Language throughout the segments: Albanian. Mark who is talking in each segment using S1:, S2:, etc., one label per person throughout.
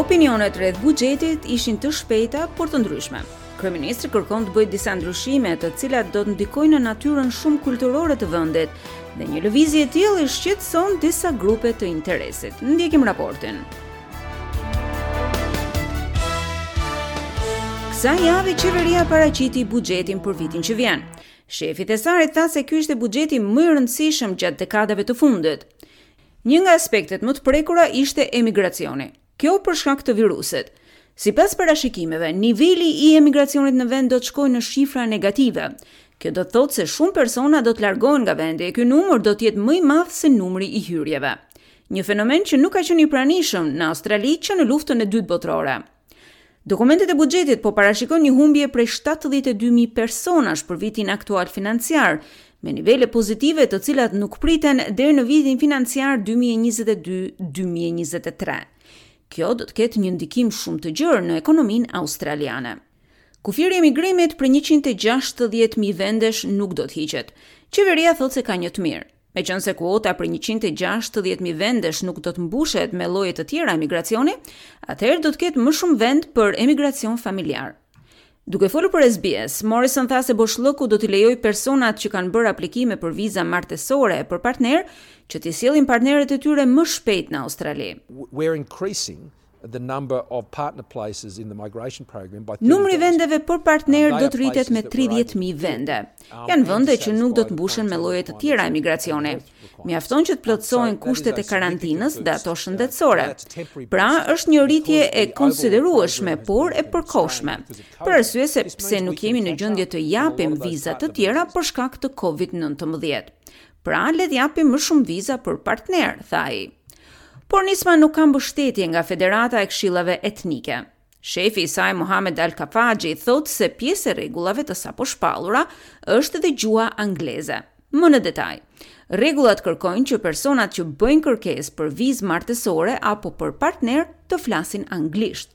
S1: Opinionet rreth buxhetit ishin të shpejta, por të ndryshme. Kryeministri kërkon të bëjë disa ndryshime, të cilat do të ndikojnë në natyrën shumëkulturore të vendit, dhe një lëvizje e tillë i shqetëson disa grupe të interesit. Ndjekim raportin. Kësaj jave qeveria paraqiti buxhetin për vitin që vjen. Shefi i Thesarit tha se ky ishte buxheti më i rëndësishëm gjatë dekadave të fundit. Një nga aspektet më të prekura ishte emigracioni. Kjo për shkak të virusit. Sipas parashikimeve, niveli i emigracionit në vend do të shkojë në shifra negative. Kjo do të thotë se shumë persona do të largohen nga vendi e ky numër do të jetë më i madh se numri i hyrjeve. Një fenomen që nuk ka qenë i pranishëm në Australi që në Luftën e Dytë Botërore. Dokumentet e buxhetit po parashikojnë një humbje prej 72.000 personash për vitin aktual financiar, me nivele pozitive të cilat nuk priten deri në vitin financiar 2022-2023. Kjo do të ketë një ndikim shumë të gjerë në ekonominë australiane. Kufiri i emigrimit prej 160.000 vendesh nuk do të hiqet. Qeveria thotë se ka një të mirë. Meqenëse kuota prej 160.000 vendesh nuk do të mbushet me lloje të tjera emigracioni, atëherë do të ketë më shumë vend për emigracion familjar. Duke folur për SBS, Morrison tha se boshllëku do t'i lejojë personat që kanë bërë aplikime për viza martesore e për partner që t'i sjellin partnerët e tyre më shpejt në Australi.
S2: We're increasing the number of partner places in the migration program by
S1: Numri i vendeve për partnerë do të rritet me 30.000 vende. Um, Janë vende që nuk do të mbushen me lloje të tjera emigracioni. Mjafton që të plotësohen kushtet e karantinës dhe ato shëndetësore. Pra, është një rritje e konsiderueshme, por e përkohshme. Për arsye se pse nuk jemi në gjendje të japim viza të tjera për shkak të COVID-19. Pra, le të japim më shumë viza për partnerë, tha ai. Por nisma nuk ka mbështetje nga Federata e Këshillave Etnike. Shefi i saj Mohamed Al-Khafaji thotë se pjesë e rregullave të saposhpallura është edhe gjuha angleze. Më në detaj, rregullat kërkojnë që personat që bëjnë kërkesë për vizë martesore apo për partner të flasin anglisht.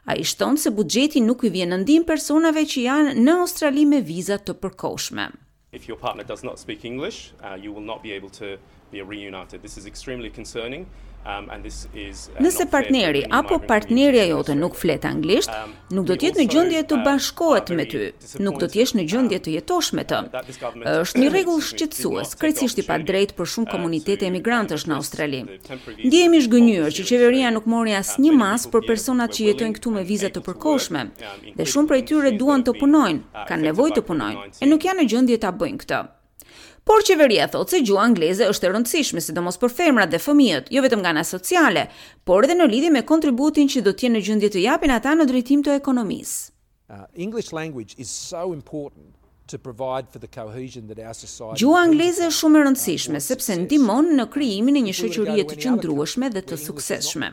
S1: Ai shton se buxheti nuk i vjen në ndihmë personave që janë në Australi me viza të përkohshme.
S3: If your partner does not speak English, uh, you will not be able to be reunited. This is extremely concerning. Um, and this is
S1: uh, Nëse partneri apo partnerja jote nuk flet anglisht, um, nuk do të jetë në gjendje të uh, bashkohet me ty, nuk do të jesh në gjendje të jetosh me të. Është një rregull shqetësues, krejtësisht i padrejtë për shumë komunitete emigrantësh në Australi. Ndihemi zhgënjyer që qeveria nuk mori asnjë masë për personat që jetojnë këtu me viza të përkohshme, Dhe shumë prej tyre duan të punojnë, kanë nevojë të punojnë, e nuk janë në gjendje ta bëjnë këtë. Por qeveria thotë se gjuha angleze është e rëndësishme, sidomos për femrat dhe fëmijët, jo vetëm nga ana sociale, por edhe në lidhje me kontributin që do të jenë në gjendje të japin ata në drejtim të ekonomisë.
S2: Uh, English language is so important to provide for the cohesion that our society
S1: Gjuha angleze është shumë e rëndësishme sepse ndihmon në krijimin e një shoqërie të qëndrueshme dhe të suksesshme.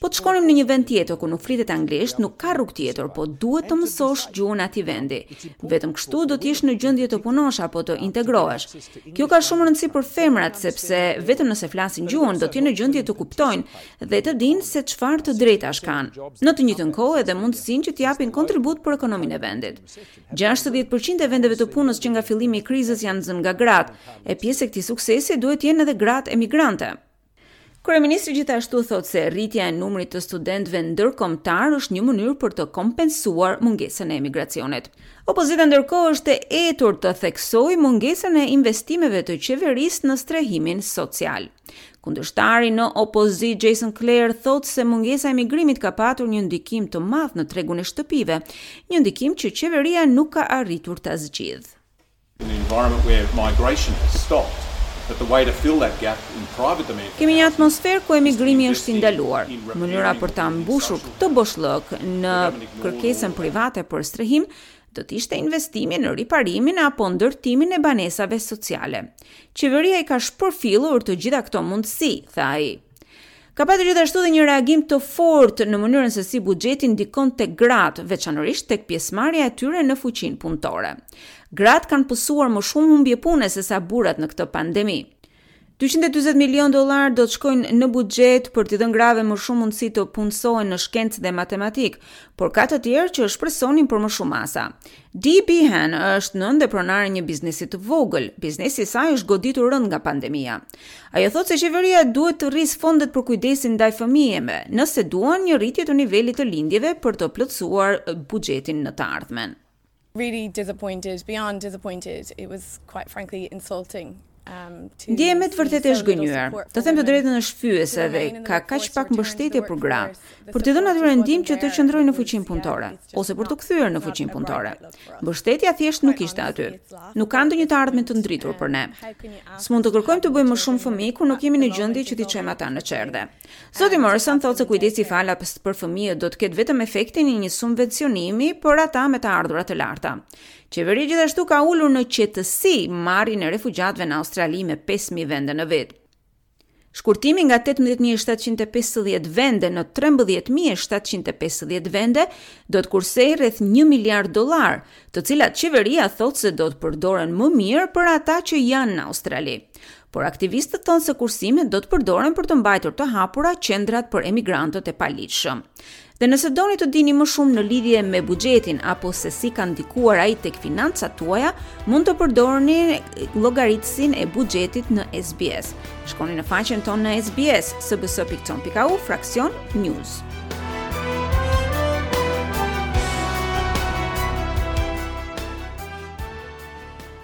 S1: Po të shkonim në një vend tjetër ku nuk flitet anglisht, nuk ka rrugë tjetër, po duhet të mësosh gjuhën e atij vendi. Vetëm kështu do të jesh në gjendje të punosh apo të integrohesh. Kjo ka shumë rëndësi për femrat sepse vetëm nëse flasin gjuhën do të jenë në gjendje të kuptojnë dhe të dinë se çfarë të drejtash kanë. Në të njëjtën kohë edhe mundësinë që të japin kontribut për ekonominë e vendit. 60% e vendeve të punës që nga fillimi i krizës janë zënë nga gratë, e pjesë e këtij suksesi duhet të jenë edhe gratë emigrante. Kryeministri gjithashtu thotë se rritja e numrit të studentëve ndërkombëtar është një mënyrë për të kompensuar mungesën e emigracionit. Opozita ndërkohë është e etur të theksojë mungesën e investimeve të qeverisë në strehimin social. Kundërshtari në opozitë Jason Clare thotë se mungesa e migrimit ka patur një ndikim të madh në tregun e shtëpive, një ndikim që qeveria nuk ka arritur ta zgjidhë.
S4: In an environment where migration has stopped, that the way to fill that gap in private demand for
S1: Kemi një
S4: housing
S1: atmosferë ku
S4: is to
S1: emigrimi
S4: invest
S1: është i
S4: in
S1: ndaluar.
S4: in
S1: Mënyra
S4: repairing
S1: për ta
S4: or building
S1: mbushur
S4: social
S1: këtë boshllëk
S4: The
S1: në
S4: government ignored all
S1: kërkesën
S4: of that.
S1: private për strehim do të ishte investimi në riparimin apo ndërtimin e banesave sociale. Qeveria i ka shpërfillur të gjitha këto mundësi, tha ai. Ka patur gjithashtu dhe një reagim të fortë në mënyrën se si buxheti ndikon tek gratë, veçanërisht tek pjesëmarrja e tyre në fuqinë punëtore. Gratë kanë pësuar më shumë humbje pune se sa burrat në këtë pandemi. 240 milionë dollarë do të shkojnë në buxhet për t'i dhënë grave më shumë mundësi të punësohen në shkencë dhe matematikë, por ka të tjerë që shpresonin për më shumë masa. Dee Behan është nënë dhe pronare e një biznesi të vogël. Biznesi i saj është goditur rëndë nga pandemia. Ajo thotë se qeveria duhet të rrisë fondet për kujdesin ndaj fëmijëve, nëse duan një rritje të nivelit të lindjeve për të plotësuar buxhetin në të ardhmen.
S5: Really disappointed, beyond disappointed. It was quite frankly insulting. Um,
S1: Ndjehem me të vërtetë e zhgënjyer. Të them të drejtën është fyese dhe ka kaq pak mbështetje për gratë, për t'i dhënë atyre ndihmë që të qëndrojnë në fuqinë punëtore ose për t'u kthyer në fuqinë punëtore. Mbështetja thjesht nuk ishte aty. Nuk ka ndonjë të ardhme të ndritur për ne. S'mund të kërkojmë të bëjmë më shumë fëmijë kur nuk jemi në gjendje që t'i çojmë ata në çerdhe. Zoti Morrison thotë se kujdesi falas për fëmijët do të ketë vetëm efektin e një subvencionimi për ata me të ardhura të larta. Qeveria gjithashtu ka ulur në qetësi marrjen e refugjatëve në Australi me 5000 vende në vit. Shkurtimi nga 18.750 vende në 13.750 vende do të kursejë rreth 1 miliard dollar, të cilat qeveria thotë se do të përdoren më mirë për ata që janë në Australi. Por aktivistët thonë se kursimet do të përdoren për të mbajtur të hapura qendrat për emigrantët e paligjshëm. Dhe nëse doni të dini më shumë në lidhje me buxhetin apo se si ka ndikuar ai tek financat tuaja, mund të përdorni llogaritësin e buxhetit në SBS. Shkoni në faqen tonë në SBS, sbs.com.au, fraksion News.